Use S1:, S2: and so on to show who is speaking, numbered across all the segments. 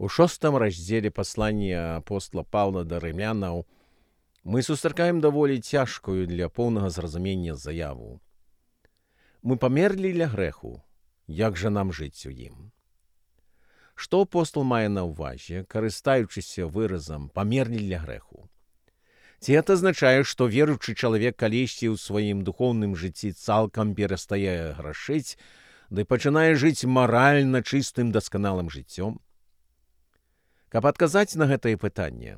S1: У 6 раздзеле паслання апостола Паўла да рымлянаў мы сустракаем даволі цяжкую для поўнага зразумення заяву. Мы памерлі для грэху, як жа нам жыць у ім? Што апостол мае на ўвазе, карыстаючыся выразам «памерлі для грэху»? Ці гэта азначае, што веруючы чалавек калісьці ў сваім духоўным жыцці цалкам перастае грашыць, ды пачынае жыць маральна чыстым дасканалым жыццём? Каб адказаць на гэтае пытанне,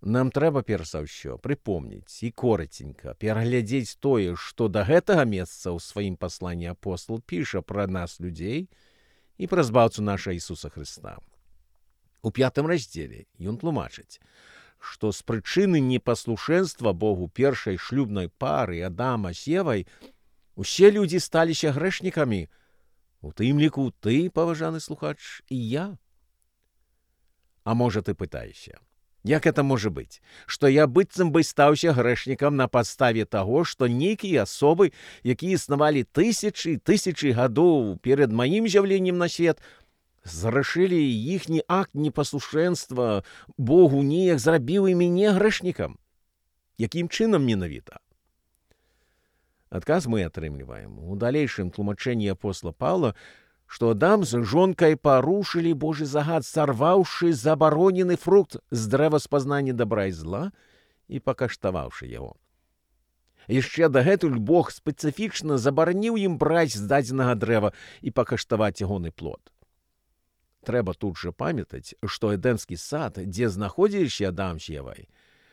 S1: нам трэба перш за ўсё прыпомніць і коратенька пераглядзець тое, што да гэтага месца ў сваім пасланні апостол піша пра нас, людзей, і пра збаўцу наша Ісуса Хрыста. У 5 раздзеле ён тлумачыць, што з прычыны непаслушэнства Богу першай шлюбнай пары Адама з Евай усе людзі сталіся грэшнікамі, у тым ліку ты, паважаны слухач, і я. А можа, ты пытаешся, як это можа быць, што я быццам бы стаўся грэшнікам на падставе таго, што нейкія асобы, якія існавалі тысячы гадоў перад маім з'яўленнем на свет, зграшылі, іхні акт непаслушэнства Богу неяк зрабіў і мяне грэшнікам? Якім чынам менавіта? Адказ мы атрымліваем у далейшым тлумачэнні апостола Паўла, што Адам з жонкай парушылі Божы загад, сарваўшы забаронены фрукт з дрэва спазнання добра і зла і пакаштаваўшы яго. Яшчэ дагэтуль Бог спецыфічна забараніў ім браць з дадзенага дрэва і пакаштаваць ягоны плод. Трэба тут жа памятаць, што эдэмскі сад, дзе знаходзіліся Адам з Евай,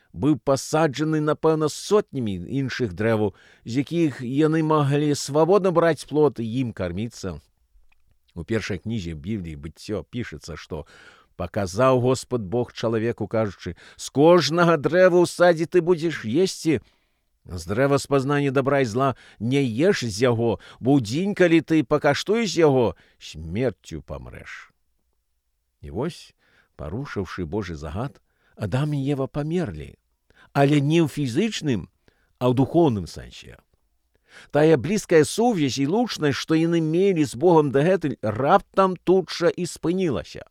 S1: быў пасаджаны, напэўна, сотнямі іншых дрэваў, з якіх яны маглі свабодна браць плод і ім карміцца. У першай кнізе Бібліі «Быццё» пішацца, што «паказаў Господ Бог чалавеку, кажучы, з кожнага дрэва ў садзе ты будзеш есці, з дрэва спазнання добра і зла не еш з яго, бо ў дзень, калі ты пакаштуеш яго, смерцю памрэш». І вось, парушыўшы Божы загад, Адам і Ева памерлі, але не ў фізычным, а ў духоўным сэнсе. Тая блізкая сувязь і лучнасць, што яны мелі з Богам дагэтуль, раптам тут жа і спынілася.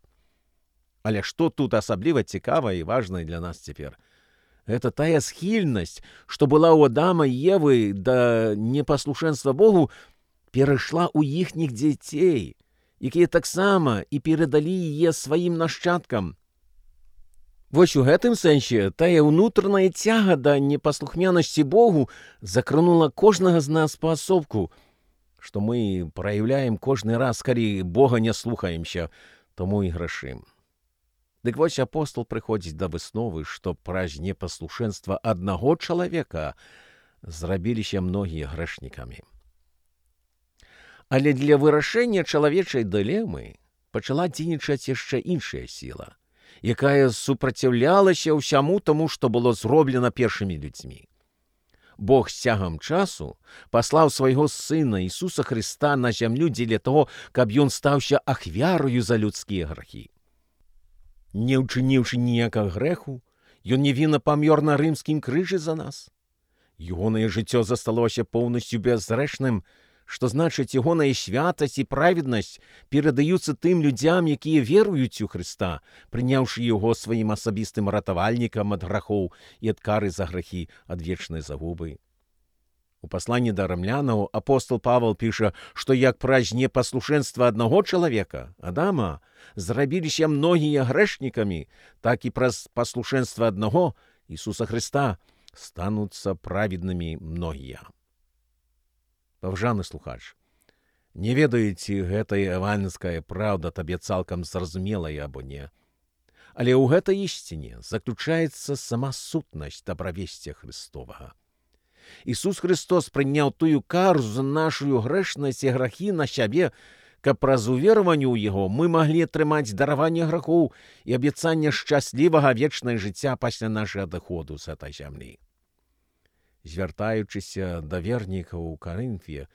S1: Але што тут асабліва цікавае і важнае для нас цяпер? Гэта тая схільнасць, што была ў Адама і Евы да непаслушэнства Богу, перайшла ў іхніх дзяцей, якія таксама і перадалі яе сваім нашчадкам. Вось у гэтым сэнсе тая ўнутраная цяга да непаслухмянасці Богу закранула кожнага з нас паасобку, што мы праяўляем кожны раз, калі Бога не слухаемся, тому і грашым. Дык вось апостол прыходзіць да высновы, што праз непаслушэнства аднаго чалавека зрабіліся многія грэшнікамі. Але для вырашэння чалавечай дылемы пачала дзейнічаць яшчэ іншая сіла, якая супраціўлялася ўсяму таму, што было зроблена першымі людзьмі. Бог з цягам часу паслаў свайго Сына Ісуса Хрыста на зямлю дзеля таго, каб ён стаўся ахвярою за людскія грахі. Не ўчыніўшы ніякага грэху, ён невінна памёр на рымскім крыжы за нас. Ягонае жыццё засталося поўнасцю бязгрэшным, што значыць, ягоная святасць і праведнасць перадаюцца тым людзям, якія веруюць у Хрыста, прыняўшы яго сваім асабістым ратавальнікам ад грахоў і ад кары за грахі ад вечнай загубы. У пасланні да рымлянаў апостол Павел піша, што як праз непаслушэнства аднаго чалавека, Адама, зрабіліся многія грэшнікамі, так і праз паслушэнства аднаго, Ісуса Хрыста, стануцца праведнымі многія. Паважаны слухач, не ведаю, ці гэтая евангельская праўда табе цалкам зразумелая або не, але ў гэтай ісціне заключаецца сама сутнасць дабравесця Христовага. Ісус Христос прыняў тую кару за нашу грэшнасць і грахі на сябе, каб праз увераванне ў яго мы маглі атрымаць дараванне грахоў і абяцанне шчаслівага вечнае жыцця пасля нашага адыходу з гэтай зямлі. Звяртаючыся да вернікаў у Карынфе,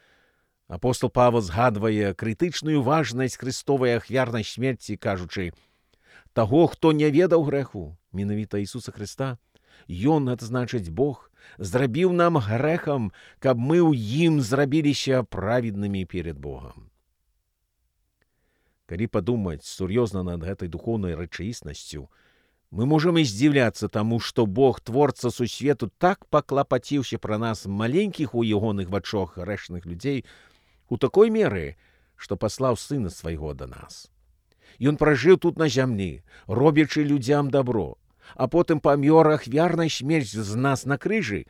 S1: апостол Павел згадвае крытычную важнасць хрыстовай ахвярнай смерці, кажучы, таго, хто не ведаў грэху, менавіта Ісуса Хрыста, ён, гэта значыць Бог, зрабіў нам грэхам, каб мы ў ім зрабіліся праведнымі перед Богам. Калі падумаць сур'ёзна над гэтай духоўнай рэчаіснасцю, мы можам і здзіўляцца таму, што Бог, творца сусвету, так паклапаціўся пра нас, маленькіх у ягоных вачах грэшных людзей, у такой меры, што паслаў сына свайго да нас. Ён пражыў тут на зямлі, робячы людзям дабро, а потым памёр ахвярнай смерць з нас на крыжы.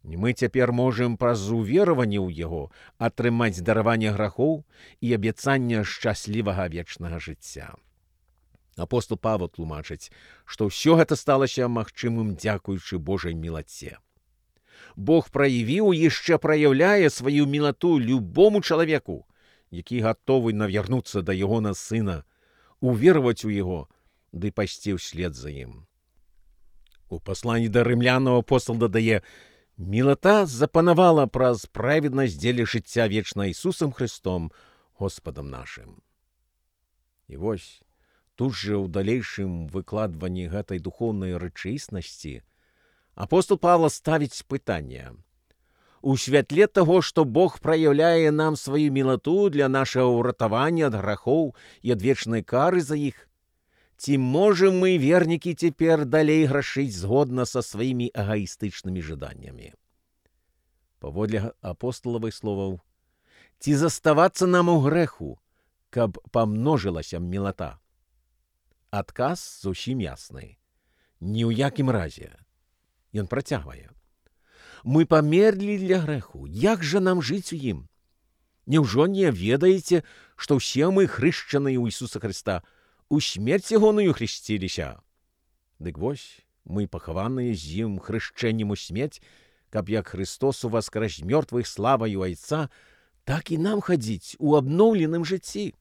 S1: І мы цяпер можам праз увераванне ў яго атрымаць дараванне грахоў і абяцанне шчаслівага вечнага жыцця. Апостол Павел тлумачыць, што ўсё гэта сталася магчымым дзякуючы Божай мілаце. Бог праявіў і яшчэ праяўляе сваю мілату любому чалавеку, які гатовы навярнуцца да ягона сына, увераваць у яго, ды пайсці ўслед за ім. У пасланні да рымлянаў апостол дадае: «Мілата запанавала праз праведнасць дзеля жыцця вечна Ісусам Христом, Господам нашым». І вось, тут жа ў далейшым выкладванні гэтай духоўнай рэчаіснасці апостол Павла ставіць пытанне. У святле таго, што Бог праяўляе нам сваю мілату для нашага ўратавання ад грахоў і ад вечнай кары за іх, ці можам мы, вернікі, цяпер далей грашыць згодна са сваімі эгаістычнымі жаданнямі? Паводле апосталавых словаў, ці заставацца нам у грэху, каб памножылася мілата? Адказ зусім ясны. Ні ў якім разе. Ён працягвае. Мы памерлі для грэху. Як жа нам жыць у ім? Няўжо не ведаеце, што ўсе мы, хрышчаныя ў Ісуса Христа, у смерць ягоную хрысціліся? Дык вось, мы пахаваныя з ім хрышчэннем у смерць, каб як Христос уваскрэс з мёртвых славаю Айца, так і нам хадзіць у абноўленым жыцці.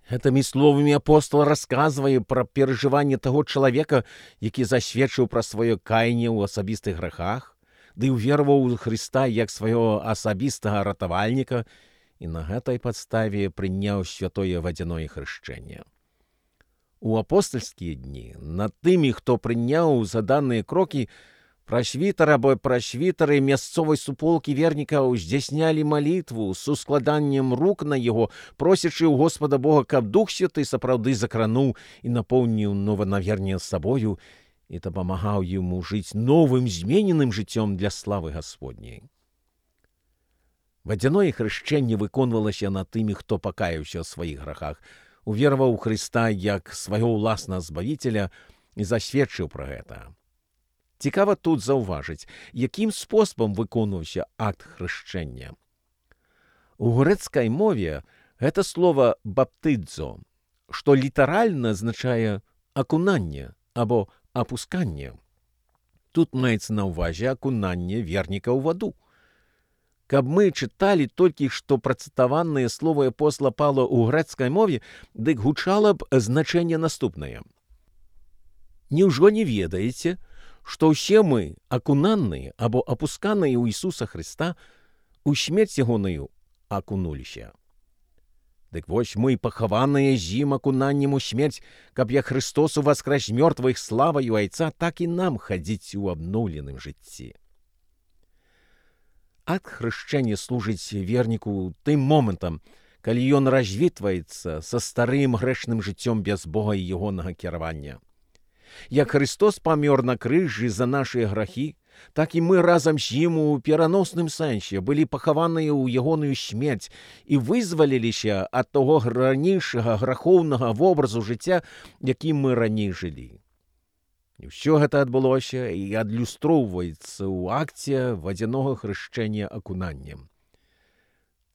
S1: Гэтымі словамі апостол расказвае пра перажыванне таго чалавека, які засведчыў пра сваё каянне ў асабістых грахах, ды ўвераваў у Хрыста як свайго асабістага ратавальніка і на гэтай падставе прыняў святое вадзяное хрышчэнне. У апостальскія дні над тымі, хто прыняў заданыя крокі, прасвітар або прасвітары мясцовай суполкі вернікаў здзяйснялі малітву з ускладаннем рук на яго, просячы ў Господа Бога, каб Дух Святы сапраўды закрануў і напоўніў нованаверне сабою і дапамагаў яму жыць новым змененым жыццём для славы Гасподняй. Вадзяное хрышчэнне выконвалася над тымі, хто пакаяўся ў сваіх грахах, увераваў у Хрыста як свайго ўласнага збавіцеля і засведчыў пра гэта. Цікава тут заўважыць, якім спосабам выконваўся акт хрышчэння. У грэцкай мове гэта слова «баптыдзо», што літаральна азначае «акунанне» або «апусканне». Тут маецца на ўвазе акунанне верніка ў ваду. Каб мы чыталі толькі што працытаваныя словы апостола Павла ў грэцкай мове, дык гучала б значэнне наступнае. Няўжо не ведаеце, што ўсе мы, акунаныя або апусканыя ў Ісуса Христа, у смерць ягоную акунуліся? Дык вось мы пахаваныя з ім акунаннем у смерць, каб як Христос уваскрэс з мёртвых славаю Айца, так і нам хадзіць у абноўленым жыцці. Акт хрышчэння служыць верніку тым момантам, калі ён развітваецца са старым грэшным жыццём без Бога і ягонага кіравання. Як Христос памёр на крыжы за нашыя грахі, так і мы разам з ім у пераносным сэнсе былі пахаваныя ў ягоную смерць і вызваліліся ад таго ранейшага грахоўнага вобразу жыцця, якім мы раней жылі. І ўсё гэта адбылося і адлюстроўваецца ў акце вадзянога хрышчэння акунаннем.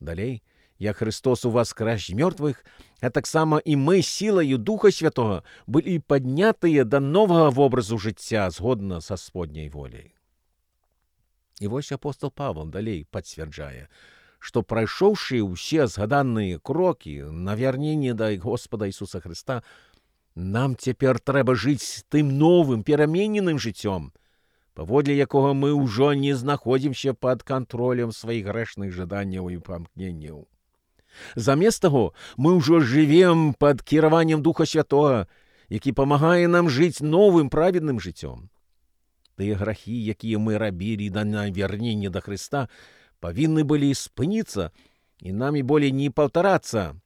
S1: Далей, як Христос уваскрэс з мёртвых, а таксама і мы сілаю Духа Святога былі паднятыя да новага вобразу жыцця згодна са Сподняй воляй. І вось апостол Павел далей пацвярджае, што прайшоўшы ўсе згаданыя крокі на вярненне да Господа Ісуса Христа, нам цяпер трэба жыць тым новым перамененым жыццём, паводле якога мы ўжо не знаходзімся пад кантролем сваіх грэшных жаданняў і памкненняў. Замест таго, мы ўжо жывем пад кіраваннем Духа Святога, які памагае нам жыць новым праведным жыццём. Тыя грахі, якія мы рабілі да навярнення да Хрыста, павінны былі спыніцца і намі болей не паўтарацца.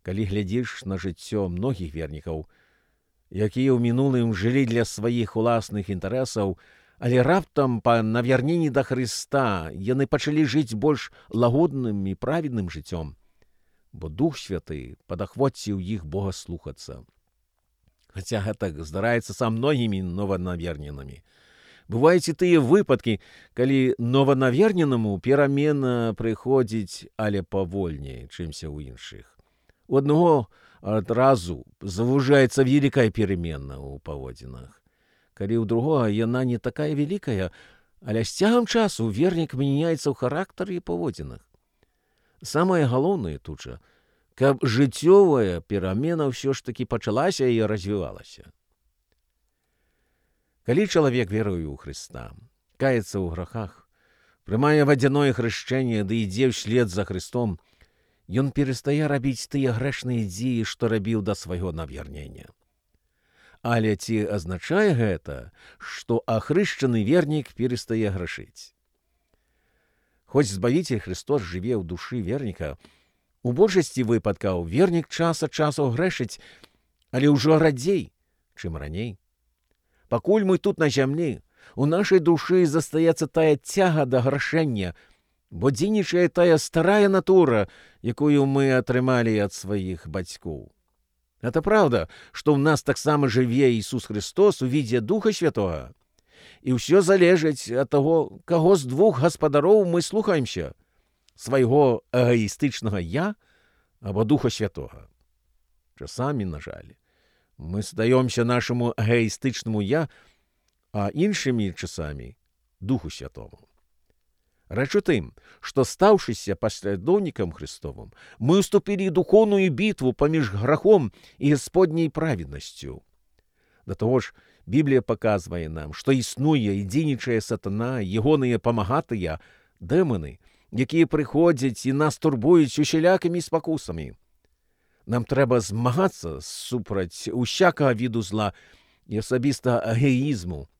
S1: Калі глядзіш на жыццё многіх вернікаў, якія ў мінулым жылі для сваіх уласных інтарэсаў, але раптам па навярненні да Хрыста яны пачалі жыць больш лагодным і праведным жыццём, бо Дух Святы падахвоціў іх Бога слухацца. Хаця гэтак здараецца са многімі нованаверненымі. Бываюць і тыя выпадкі, калі нованаверненаму перамена прыходзіць, але павольней, чымся ў іншых. У аднаго адразу завужаецца вялікая перамена ў паводзінах. Калі ў другога яна не такая вялікая, але з цягам часу вернік мяняецца ў характары і паводзінах. Самае галоўнае тут жа, каб жыццёвая перамена ўсё ж такі пачалася і развівалася. Калі чалавек веруе ў Хрыста, каецца ў грахах, прымае вадзяное хрышчэнне ды ідзе ўслед за Хрыстом, ён перастае рабіць тыя грэшныя дзеі, што рабіў да свайго навярнення. Але ці азначае гэта, што ахрышчаны вернік перастае грашыць? Хоць Збавіцель Христос жыве ў душы верніка, у большасці выпадкаў вернік час ад часу грэшыць, але ўжо радзей, чым раней. Пакуль мы тут на зямлі, у нашай душы застаецца тая цяга да грашэння, бо дзейнічае тая старая натура, якую мы атрымалі ад сваіх бацькоў. Гэта праўда, што ў нас таксама жыве Ісус Христос у відзе Духа Святога. І ўсё залежыць ад таго, каго з двух гаспадароў мы слухаемся, свайго эгоістычнага «я» або Духа Святога. Часамі, на жаль, мы здаёмся нашаму эгоістычнаму «я», а іншымі часамі Духу Святому. Рэч у тым, што, стаўшыся паслядоўнікам Христовым, мы ўступілі духоўную бітву паміж грахом і Гасподняй праведнасцю. Да таго ж, Біблія паказвае нам, што існуе і дзейнічае сатана, ягоныя памагатыя, дэманы, якія прыходзяць і нас турбуюць усялякімі спакусамі. Нам трэба змагацца супраць усякага віду зла і асабістага эгоізму.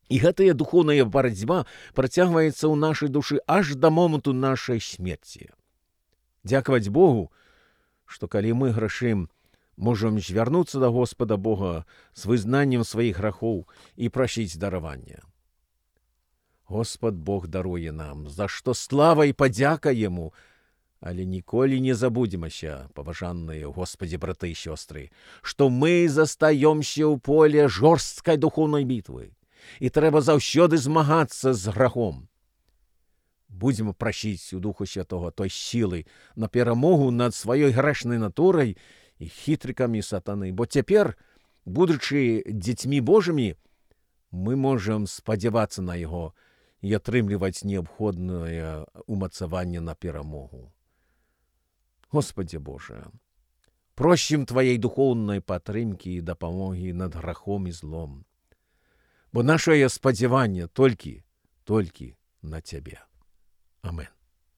S1: І гэтая духоўная барацьба працягваецца ў нашай душы аж да моманту нашай смерці. Дзякаваць Богу, што калі мы грашым, можам звярнуцца да Господа Бога з вызнаннем сваіх грахоў і прасіць даравання. Господ Бог даруе нам, за што слава і падзяка Яму, але ніколі не забудземася, паважаныя Господі браты і сёстры, што мы застаёмся ў поле жорсткай духоўнай бітвы, і трэба заўсёды змагацца з грахом. Будзем прасіць у Духу Святога той сілы на перамогу над сваёй грэшнай натурай і хітрыкамі сатаны, бо цяпер, будучы дзецьмі Божымі, мы можам спадзявацца на яго і атрымліваць неабходнае умацаванне на перамогу. Господзе Боже, просім Тваей духоўнай падтрымкі і дапамогі над грахом і злом, бо нашае спадзяванне толькі на Цябе. Амен.